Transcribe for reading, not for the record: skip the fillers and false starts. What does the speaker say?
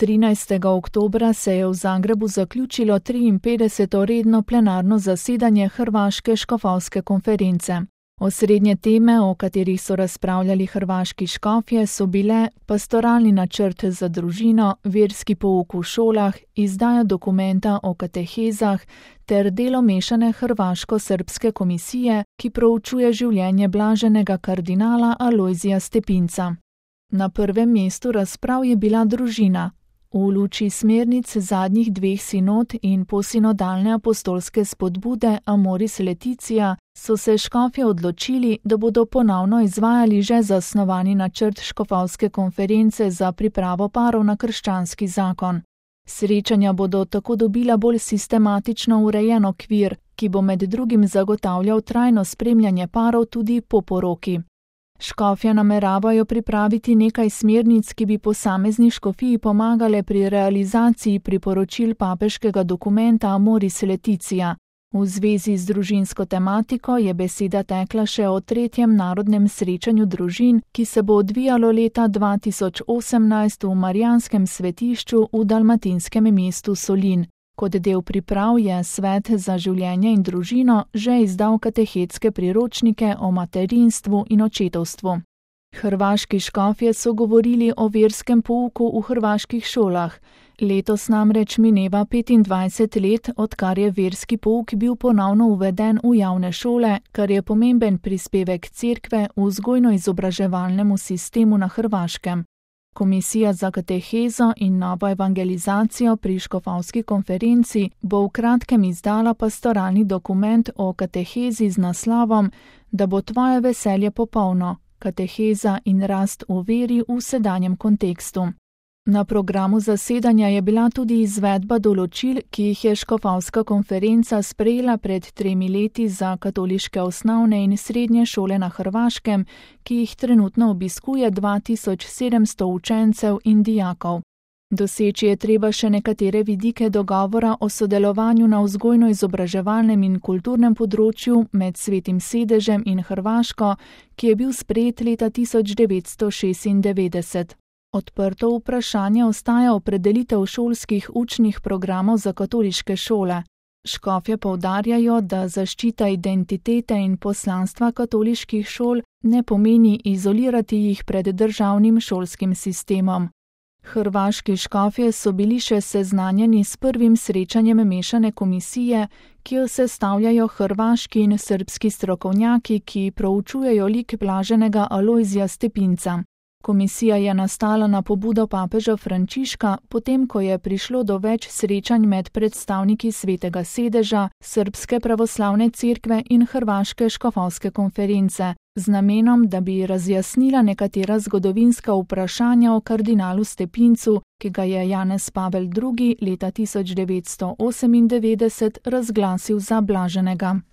13. oktobra se je v Zagrebu zaključilo 53. redno plenarno zasedanje Hrvaške škofovske konference. Osrednje teme, o katerih so razpravljali hrvaški škofje, so bile pastoralni načrt za družino, verski pouk v šolah, izdaja dokumenta o katehezah ter delo mešane hrvaško-srbske komisije, ki proučuje življenje blaženega kardinala Alojzija Stepinca. Na prvem mestu razprav je bila družina. V luči smernic zadnjih dveh sinod in posinodalne apostolske spodbude Amoris Laetitia so se škofje odločili, da bodo ponovno izvajali že zasnovani načrt škofovske konference za pripravo parov na krščanski zakon. Srečanja bodo tako dobila bolj sistematično urejen okvir, ki bo med drugim zagotavljal trajno spremljanje parov tudi po poroki. Škofje nameravajo pripraviti nekaj smernic, ki bi posamezni škofiji pomagale pri realizaciji priporočil papeškega dokumenta Amoris Laetitia. V zvezi z družinsko tematiko je beseda tekla še o 3. narodnem srečanju družin, ki se bo odvijalo leta 2018 v Marijanskem svetišču v dalmatinskem mestu Solin. Kot del priprav je Svet za življenje in družino že izdal katehetske priročnike o materinstvu in očetovstvu. Hrvaški škofje so govorili o verskem pouku v hrvaških šolah. Letos namreč mineva 25 let, odkar je verski pouk bil ponovno uveden v javne šole, kar je pomemben prispevek cerkve v vzgojno-izobraževalnemu sistemu na Hrvaškem. Komisija za katehezo in novo evangelizacijo pri škofovski konferenci bo v kratkem izdala pastoralni dokument o katehezi z naslovom Da bo tvoje veselje popolno, kateheza in rast v veri v sedanjem kontekstu. Na programu zasedanja je bila tudi izvedba določil, ki jih je škofovska konferenca sprejela pred 3 leti za katoliške osnovne in srednje šole na Hrvaškem, ki jih trenutno obiskuje 2700 učencev in dijakov. Doseči je treba še nekatere vidike dogovora o sodelovanju na vzgojno-izobraževalnem in kulturnem področju med Svetim sedežem in Hrvaško, ki je bil sprejet leta 1996. Odprto vprašanje ostaja opredelitev šolskih učnih programov za katoliške šole. Škofje poudarjajo, da zaščita identitete in poslanstva katoliških šol ne pomeni izolirati jih pred državnim šolskim sistemom. Hrvaški škofje so bili še seznanjeni s prvim srečanjem mešane komisije, ki jo sestavljajo hrvaški in srbski strokovnjaki, ki proučujejo lik blaženega Alojzija Stepinca. Komisija je nastala na pobudo papeža Frančiška, potem ko je prišlo do več srečanj med predstavniki Svetega sedeža, Srbske pravoslavne cerkve in Hrvaške škofovske konference, z namenom, da bi razjasnila nekatera zgodovinska vprašanja o kardinalu Stepincu, ki ga je Janez Pavel II. Leta 1998 razglasil za blaženega.